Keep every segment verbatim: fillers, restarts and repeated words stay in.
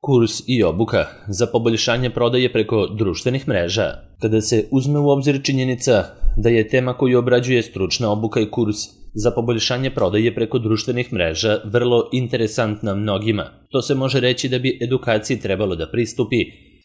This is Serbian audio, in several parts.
kurs i obuka za poboljšanje prodaje preko društvenih mreža. Kada se uzme u obzir činjenica da je tema koju obrađuje stručna obuka i kurs za poboljšanje prodaje preko društvenih mreža vrlo interesantna mnogima, to se može reći da bi edukaciji trebalo da pristupi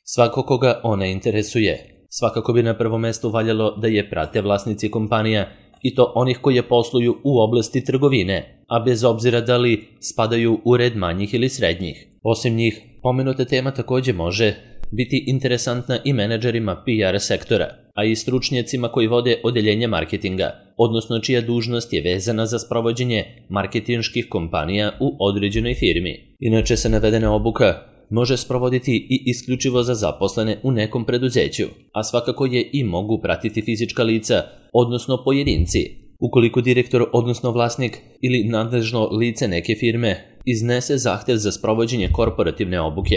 svako koga ona interesuje. Svakako bi na prvo mesto valjalo da je prate vlasnici kompanija i to onih koje posluju u oblasti trgovine, a bez obzira da li spadaju u red manjih ili srednjih. Osim njih, pomenuta tema takođe može biti interesantna i menadžerima P R sektora, a i stručnjacima koji vode odeljenje marketinga, odnosno čija dužnost je vezana za sprovođenje marketinških kompanija u određenoj firmi. Inače se navedena obuka može sprovoditi i isključivo za zaposlene u nekom preduzeću, a svakako je i mogu pratiti fizička lica, odnosno pojedinci. Ukoliko direktor, odnosno vlasnik ili nadležno lice neke firme iznese zahtev za sprovođenje korporativne obuke,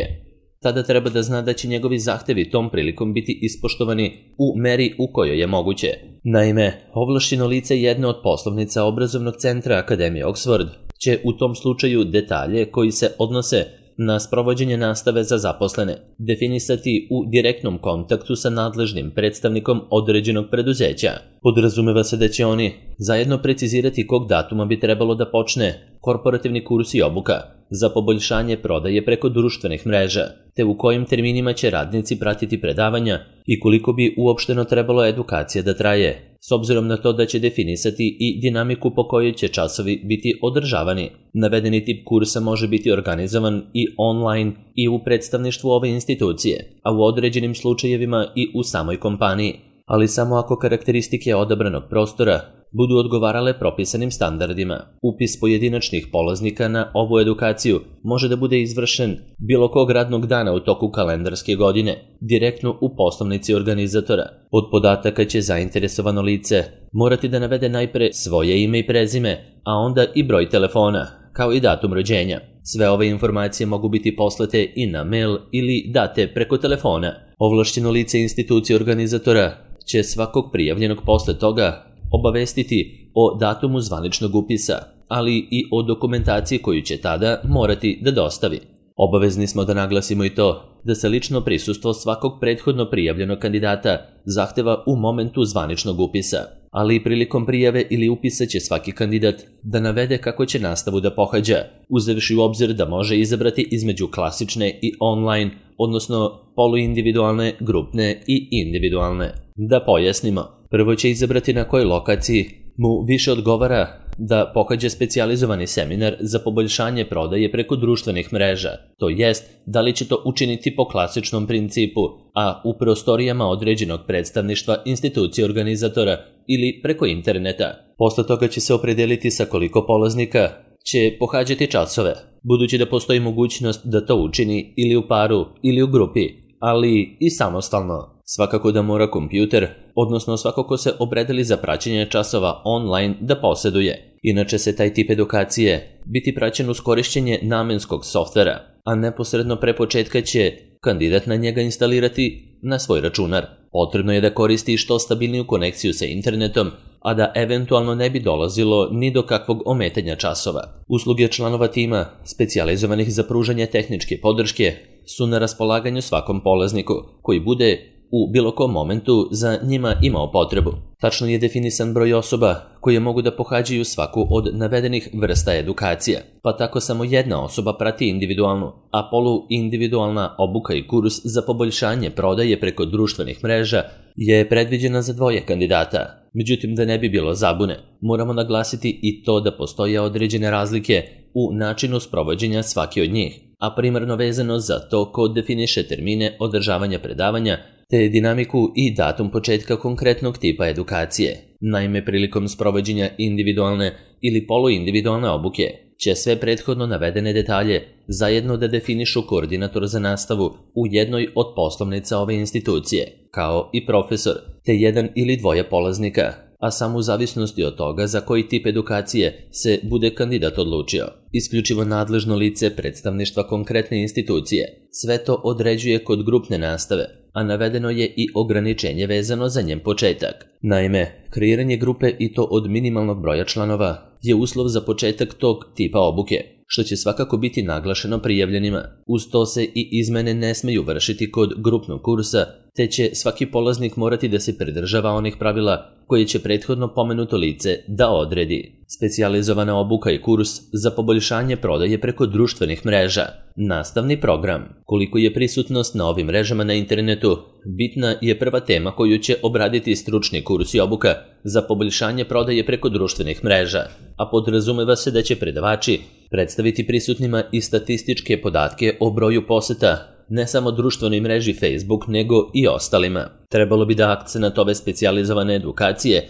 tada treba da zna da će njegovi zahtevi tom prilikom biti ispoštovani u meri u kojoj je moguće. Naime, ovlašćeno lice jedne od poslovnica obrazovnog centra Akademije Oxford će u tom slučaju detalje koji se odnose na sprovođenje nastave za zaposlene definisati u direktnom kontaktu sa nadležnim predstavnikom određenog preduzeća. Podrazumeva se da će oni zajedno precizirati kog datuma bi trebalo da počne korporativni kurs i obuka za poboljšanje prodaje preko društvenih mreža, te u kojim terminima će radnici pratiti predavanja i koliko bi uopšteno trebalo edukacija da traje, s obzirom na to da će definisati i dinamiku po kojoj će časovi biti održavani. Navedeni tip kursa može biti organizovan i online i u predstavništvu ove institucije, a u određenim slučajevima i u samoj kompaniji, ali samo ako karakteristike odabranog prostora budu odgovarale propisanim standardima. Upis pojedinačnih polaznika na ovu edukaciju može da bude izvršen bilo kog radnog dana u toku kalendarske godine, direktno u poslovnici organizatora. Od podataka će zainteresovano lice morati da navede najpre svoje ime i prezime, a onda i broj telefona, kao i datum rođenja. Sve ove informacije mogu biti poslate i na mail ili date preko telefona. Ovlašćeno lice institucije organizatora će svakog prijavljenog posle toga obavestiti o datumu zvaničnog upisa, ali i o dokumentaciji koju će tada morati da dostavi. Obavezni smo da naglasimo i to da se lično prisustvo svakog prethodno prijavljenog kandidata zahteva u momentu zvaničnog upisa, ali i prilikom prijave ili upisa će svaki kandidat da navede kako će nastavu da pohađa, uzevši u obzir da može izabrati između klasične i online, odnosno poluindividualne, grupne i individualne. Da pojasnimo, prvo će izabrati na kojoj lokaciji mu više odgovara da pohađa specijalizovani seminar za poboljšanje prodaje preko društvenih mreža, to jest da li će to učiniti po klasičnom principu, a u prostorijama određenog predstavništva institucije organizatora ili preko interneta. Posle toga će se opredeliti sa koliko polaznika će pohađati časove, budući da postoji mogućnost da to učini ili u paru ili u grupi, ali i samostalno. Svakako da mora kompjuter, odnosno svako ko se opredeli za praćenje časova online da poseduje. Inače se taj tip edukacije biti praćen uz korišćenje namenskog softvera, a neposredno pre početka će kandidat na njega instalirati na svoj računar. Potrebno je da koristi što stabilniju konekciju sa internetom, a da eventualno ne bi dolazilo ni do kakvog ometanja časova. Usluge članova tima, specijalizovanih za pružanje tehničke podrške, su na raspolaganju svakom polazniku koji bude u bilo kom momentu za njima imao potrebu. Tačno je definisan broj osoba koje mogu da pohađaju svaku od navedenih vrsta edukacija, pa tako samo jedna osoba prati individualnu, a poluindividualna obuka i kurs za poboljšanje prodaje preko društvenih mreža je predviđena za dvoje kandidata. Međutim, da ne bi bilo zabune, moramo naglasiti i to da postoje određene razlike u načinu sprovođenja svake od njih, a primarno vezano za to ko definiše termine održavanja predavanja, te dinamiku i datum početka konkretnog tipa edukacije. Naime, prilikom sprovođenja individualne ili poluindividualne obuke će sve prethodno navedene detalje zajedno da definišu koordinator za nastavu u jednoj od poslovnica ove institucije, kao i profesor, te jedan ili dvoje polaznika, a samo u zavisnosti od toga za koji tip edukacije se bude kandidat odlučio. Isključivo nadležno lice predstavništva konkretne institucije sve to određuje kod grupne nastave, a navedeno je i ograničenje vezano za njen početak. Naime, kreiranje grupe i to od minimalnog broja članova je uslov za početak tog tipa obuke. što će svakako biti naglašeno prijavljenima. Uz to se i izmene ne smeju vršiti kod grupnog kursa, te će svaki polaznik morati da se pridržava onih pravila koje će prethodno pomenuto lice da odredi. Specijalizovana obuka i kurs za poboljšanje prodaje preko društvenih mreža. Nastavni program. Koliko je prisutnost na ovim mrežama na internetu, bitna je prva tema koju će obraditi stručni kurs i obuka za poboljšanje prodaje preko društvenih mreža, a podrazumeva se da će predavači predstaviti prisutnima i statističke podatke o broju poseta ne samo društvenoj mreži Facebook, nego i ostalima. Trebalo bi da akcenat ove specijalizovane edukacije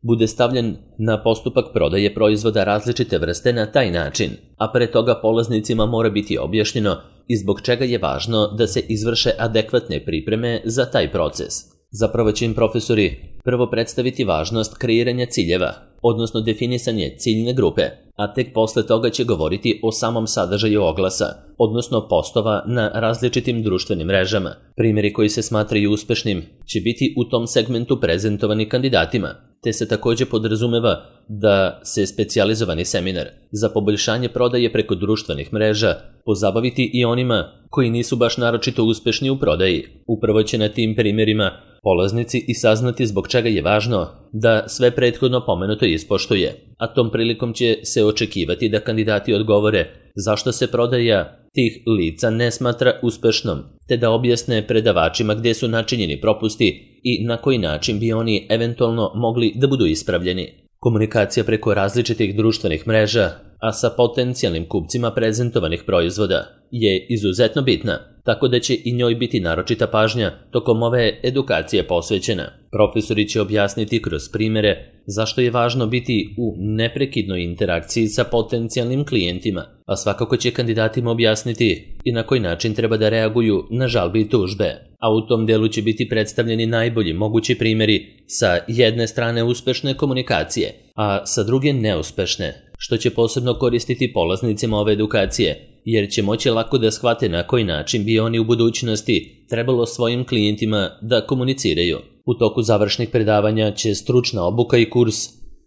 bude stavljen na postupak prodaje proizvoda različite vrste na taj način, a pre toga polaznicima mora biti objašnjeno i zbog čega je važno da se izvrše adekvatne pripreme za taj proces. Zapravo će im profesori prvo predstaviti važnost kreiranja ciljeva, odnosno definisanje ciljne grupe, a tek posle toga će govoriti o samom sadržaju oglasa, odnosno postova na različitim društvenim mrežama. Primjeri koji se smatraju uspešnim će biti u tom segmentu prezentovani kandidatima, te se takođe podrazumeva da se specijalizovani seminar za poboljšanje prodaje preko društvenih mreža pozabaviti i onima koji nisu baš naročito uspešni u prodaji. Upravo će na tim primjerima polaznici i saznati zbog čega je važno da sve prethodno pomenuto ispoštuje, a tom prilikom će se očekivati da kandidati odgovore zašto se prodaja tih lica ne smatra uspešnom, te da objasne predavačima gde su načinjeni propusti i na koji način bi oni eventualno mogli da budu ispravljeni. Komunikacija preko različitih društvenih mreža, a sa potencijalnim kupcima prezentovanih proizvoda, je izuzetno bitna, tako da će i njoj biti naročita pažnja tokom ove edukacije posvećena. Profesori će objasniti kroz primere zašto je važno biti u neprekidnoj interakciji sa potencijalnim klijentima, a svakako će kandidatima objasniti i na koji način treba da reaguju na žalbe i tužbe. A u tom delu će biti predstavljeni najbolji mogući primjeri sa jedne strane uspešne komunikacije, a sa druge neuspešne, što će posebno koristiti polaznicima ove edukacije, jer će moći lako da shvate na koji način bi oni u budućnosti trebalo svojim klijentima da komuniciraju. U toku završnih predavanja će stručna obuka i kurs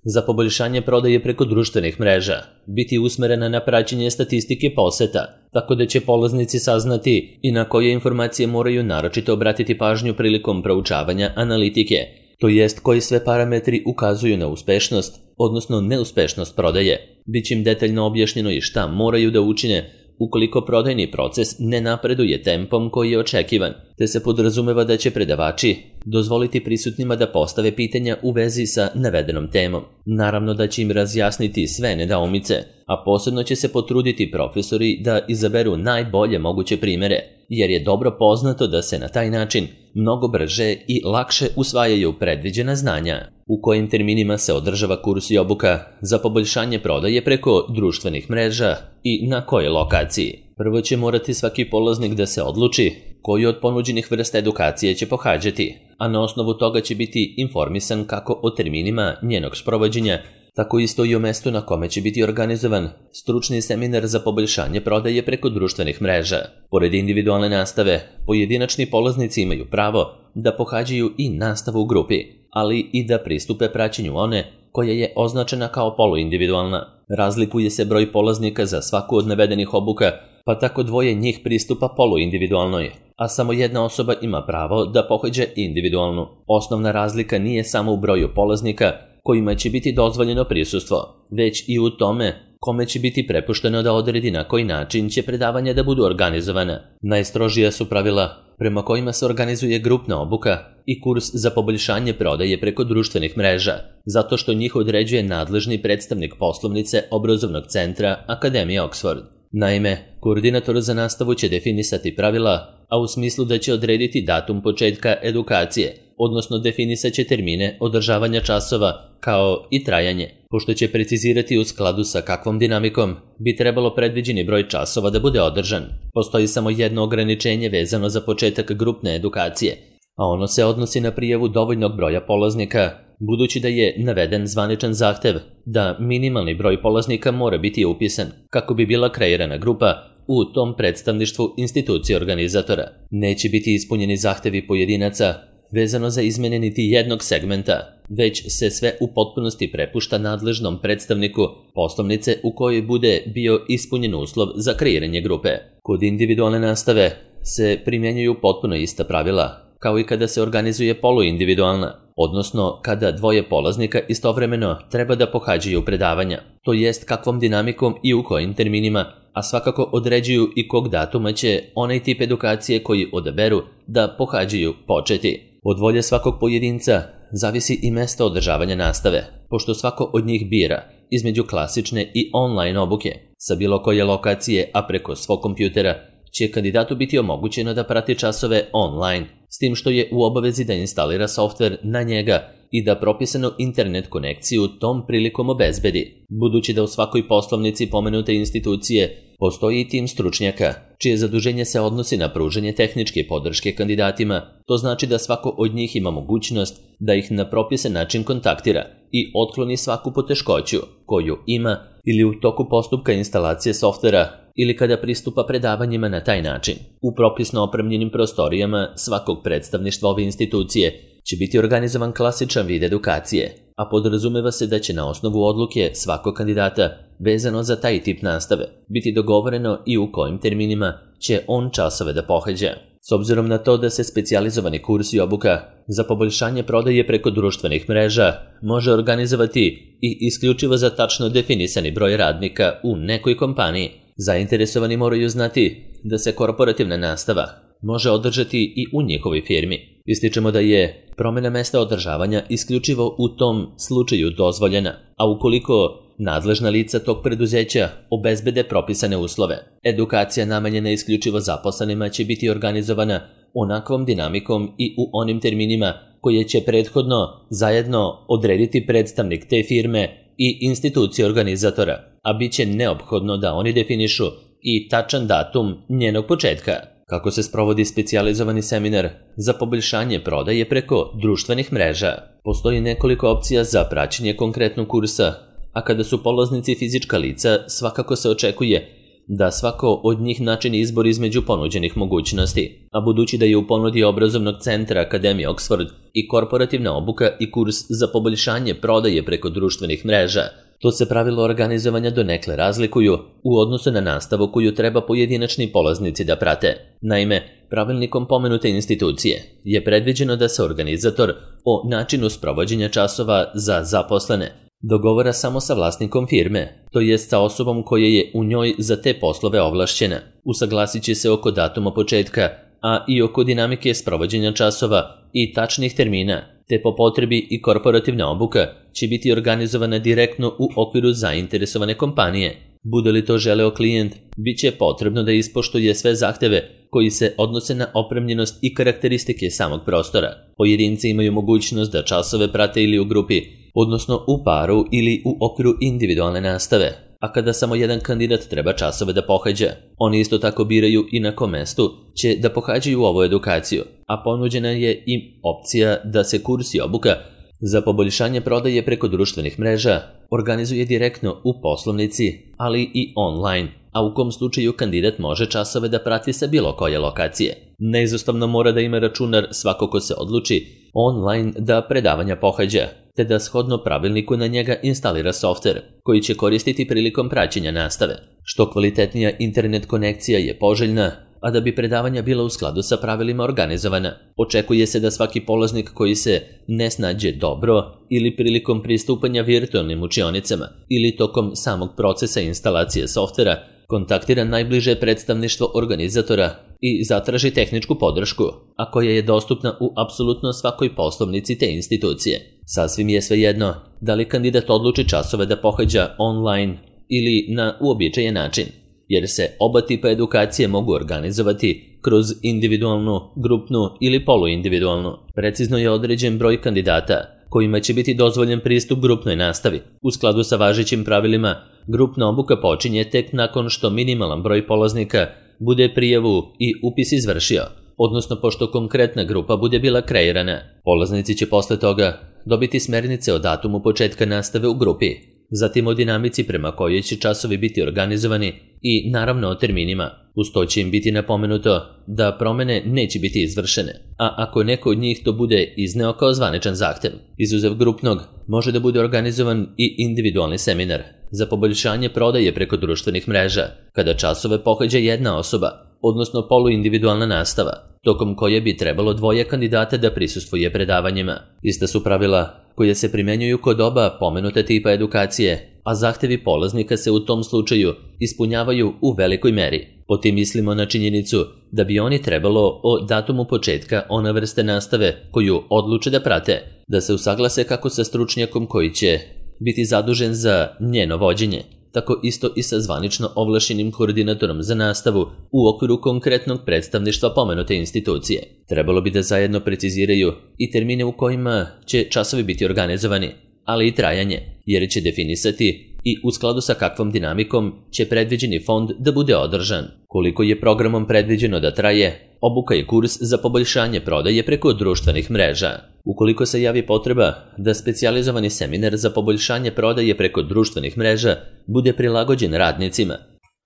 za poboljšanje prodaje preko društvenih mreža biti usmerena na praćenje statistike poseta, tako da će polaznici saznati i na koje informacije moraju naročito obratiti pažnju prilikom proučavanja analitike, to jest koji sve parametri ukazuju na uspešnost, odnosno neuspešnost prodaje. Biće im detaljno objašnjeno i šta moraju da učine ukoliko prodajni proces ne napreduje tempom koji je očekivan, te se podrazumeva da će predavači dozvoliti prisutnima da postave pitanja u vezi sa navedenom temom. Naravno da će im razjasniti sve nedoumice, a posebno će se potruditi profesori da izaberu najbolje moguće primere, jer je dobro poznato da se na taj način mnogo brže i lakše usvajaju predviđena znanja. U kojim terminima se održava kurs i obuka za poboljšanje prodaje preko društvenih mreža i na kojoj lokaciji. Prvo će morati svaki polaznik da se odluči koju od ponuđenih vrsta edukacije će pohađati, a na osnovu toga će biti informisan kako o terminima njenog sprovođenja, tako isto i o mestu na kome će biti organizovan stručni seminar za poboljšanje prodaje preko društvenih mreža. Pored individualne nastave, pojedinačni polaznici imaju pravo da pohađaju i nastavu u grupi, ali i da pristupe praćenju one koja je označena kao poluindividualna. Razlikuje se broj polaznika za svaku od navedenih obuka, pa tako dvoje njih pristupa poluindividualnoj, a samo jedna osoba ima pravo da pohađa individualnu. Osnovna razlika nije samo u broju polaznika kojima će biti dozvoljeno prisustvo, već i u tome kome će biti prepušteno da odredi na koji način će predavanja da budu organizovana. Najstrožija su pravila prema kojima se organizuje grupna obuka i kurs za poboljšanje prodaje preko društvenih mreža, zato što njih određuje nadležni predstavnik poslovnice obrazovnog centra Akademije Oxford. Naime, koordinator za nastavu će definisati pravila, a u smislu da će odrediti datum početka edukacije, odnosno definisat će termine održavanja časova kao i trajanje, pošto će precizirati u skladu sa kakvom dinamikom bi trebalo predviđeni broj časova da bude održan. Postoji samo jedno ograničenje vezano za početak grupne edukacije, a ono se odnosi na prijavu dovoljnog broja polaznika, budući da je naveden zvaničan zahtev da minimalni broj polaznika mora biti upisan kako bi bila kreirana grupa u tom predstavništvu institucije organizatora. Neće biti ispunjeni zahtevi pojedinaca vezano za izmene niti jednog segmenta već se sve u potpunosti prepušta nadležnom predstavniku poslovnice u kojoj bude bio ispunjen uslov za kreiranje grupe. Kod individualne nastave se primjenjuju potpuno ista pravila, kao i kada se organizuje poluindividualna, odnosno kada dvoje polaznika istovremeno treba da pohađaju predavanja, to jest kakvom dinamikom i u kojim terminima, a svakako određuju i kog datuma će onaj tip edukacije koji odaberu da pohađaju početi. Od volje svakog pojedinca zavisi i mesto održavanja nastave, pošto svako od njih bira između klasične i online obuke sa bilo koje lokacije, a preko svog kompjutera će kandidatu biti omogućeno da prati časove online, s tim što je u obavezi da instalira softver na njega i da propisanu internet konekciju tom prilikom obezbedi. Budući da u svakoj poslovnici pomenute institucije postoji i tim stručnjaka, čije zaduženje se odnosi na pružanje tehničke podrške kandidatima, to znači da svako od njih ima mogućnost da ih na propisan način kontaktira i otkloni svaku poteškoću koju ima ili u toku postupka instalacije softvera ili kada pristupa predavanjima na taj način. U propisno opremljenim prostorijama svakog predstavništva ove institucije će biti organizovan klasičan vid edukacije, a podrazumeva se da će na osnovu odluke svakog kandidata vezano za taj tip nastave biti dogovoreno i u kojim terminima će on časove da pohađa. S obzirom na to da se specijalizovani kurs i obuka za poboljšanje prodaje preko društvenih mreža može organizovati i isključivo za tačno definisani broj radnika u nekoj kompaniji, zainteresovani moraju znati da se korporativna nastava može održati i u njihovoj firmi. Ističemo da je promjena mesta održavanja isključivo u tom slučaju dozvoljena, a ukoliko nadležna lica tog preduzeća obezbede propisane uslove, edukacija namenjena isključivo zaposlenima će biti organizovana onakvom dinamikom i u onim terminima koje će prethodno zajedno odrediti predstavnik te firme i institucije organizatora, a bit će neophodno da oni definišu i tačan datum njenog početka. Kako se sprovodi specijalizovani seminar za poboljšanje prodaje preko društvenih mreža? Postoji nekoliko opcija za praćenje konkretnog kursa, a kada su polaznici fizička lica, svakako se očekuje da svako od njih načini izbor između ponuđenih mogućnosti, a budući da je u ponudi obrazovnog centra Akademije Oxford i korporativna obuka i kurs za poboljšanje prodaje preko društvenih mreža, to se pravilo organizovanja donekle razlikuju u odnosu na nastavu koju treba pojedinačni polaznici da prate. Naime, pravilnikom pomenute institucije je predviđeno da se organizator o načinu sprovođenja časova za zaposlene dogovora samo sa vlasnikom firme, to jest sa osobom koja je u njoj za te poslove ovlašćena. Usaglasit će se oko datuma početka, a i oko dinamike sprovođenja časova i tačnih termina, te po potrebi i korporativna obuka će biti organizovana direktno u okviru zainteresovane kompanije. Bude li to želeo klijent, bit će potrebno da ispoštuje sve zahteve koji se odnose na opremljenost i karakteristike samog prostora. Pojedinci imaju mogućnost da časove prate ili u grupi, odnosno u paru ili u okviru individualne nastave, a kada samo jedan kandidat treba časove da pohađa, oni isto tako biraju i na kom mestu će da pohađaju ovu edukaciju, a ponuđena je i opcija da se kurs i obuka za poboljšanje prodaje preko društvenih mreža organizuje direktno u poslovnici, ali i online, a u kom slučaju kandidat može časove da prati sa bilo koje lokacije. Neizostavno mora da ima računar svako ko se odluči online da predavanja pohađa, te da shodno pravilniku na njega instalira softver koji će koristiti prilikom praćenja nastave. Što kvalitetnija internet konekcija je poželjna, a da bi predavanja bila u skladu sa pravilima organizovana. Očekuje se da svaki polaznik koji se ne snađe dobro ili prilikom pristupanja virtualnim učionicama ili tokom samog procesa instalacije softvera kontaktira najbliže predstavništvo organizatora i zatraži tehničku podršku, a koja je dostupna u apsolutno svakoj poslovnici te institucije. Sasvim je svejedno da li kandidat odluči časove da pohađa online ili na uobičajen način, jer se oba tipa edukacije mogu organizovati kroz individualnu, grupnu ili poluindividualnu. Precizno je određen broj kandidata kojima će biti dozvoljen pristup grupnoj nastavi. U skladu sa važećim pravilima, grupna obuka počinje tek nakon što minimalan broj polaznika bude prijavu i upis izvršio, odnosno pošto konkretna grupa bude bila kreirana. Polaznici će posle toga dobiti smernice o datumu početka nastave u grupi. zatim o dinamici prema kojoj će časovi biti organizovani i naravno o terminima. Uz to će im biti napomenuto da promene neće biti izvršene, a ako neko od njih to bude izneo kao zvaničan zahtev. Izuzev grupnog, može da bude organizovan i individualni seminar za poboljšanje prodaje preko društvenih mreža, kada časove pohađa jedna osoba, odnosno poluindividualna nastava, tokom koje bi trebalo dvoje kandidata da prisustvuje predavanjima. Ista su pravila koje se primenjuju kod oba pomenute tipa edukacije, a zahtevi polaznika se u tom slučaju ispunjavaju u velikoj meri. Po tim mislimo na činjenicu da bi oni trebalo o datumu početka one vrste nastave koju odluče da prate, da se usaglase kako sa stručnjakom koji će biti zadužen za njeno vođenje, tako isto i sa zvanično ovlašenim koordinatorom za nastavu u okviru konkretnog predstavništva pomenute institucije. Trebalo bi da zajedno preciziraju i termine u kojima će časovi biti organizovani, ali i trajanje, jer će definisati i u skladu sa kakvom dinamikom će predviđeni fond da bude održan. Koliko je programom predviđeno da traje obuka i kurs za poboljšanje prodaje preko društvenih mreža. Ukoliko se javi potreba da specijalizovani seminar za poboljšanje prodaje preko društvenih mreža bude prilagođen radnicima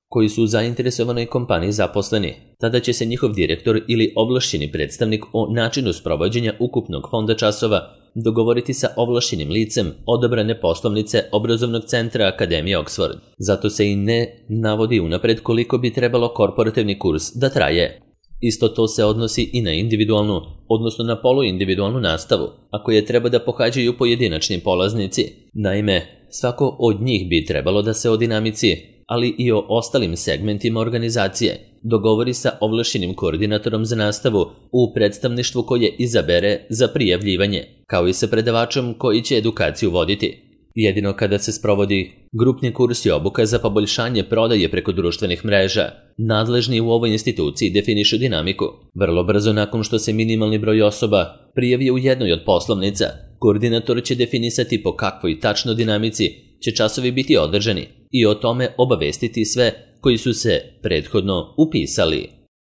koji su u zainteresovanoj kompaniji zaposleni, tada će se njihov direktor ili ovlašćeni predstavnik o načinu sprovođenja ukupnog fonda časova dogovoriti sa ovlašćenim licem odabrane poslovnice obrazovnog centra Akademije Oxford. Zato se i ne navodi unapred koliko bi trebalo korporativni kurs da traje. Isto to se odnosi i na individualnu, odnosno na poluindividualnu nastavu, ako je treba da pohađaju pojedinačni polaznici. Naime, svako od njih bi trebalo da se o dinamici, ali i o ostalim segmentima organizacije dogovori sa ovlašćenim koordinatorom za nastavu u predstavništvu koje izabere za prijavljivanje, kao i sa predavačom koji će edukaciju voditi. Jedino kada se sprovodi grupni kurs i obuka za poboljšanje prodaje preko društvenih mreža, nadležni u ovoj instituciji definišu dinamiku. Vrlo brzo nakon što se minimalni broj osoba prijavi u jednoj od poslovnica, koordinator će definisati po kakvoj tačno dinamici će časovi biti održani i o tome obavestiti sve koji su se prethodno upisali.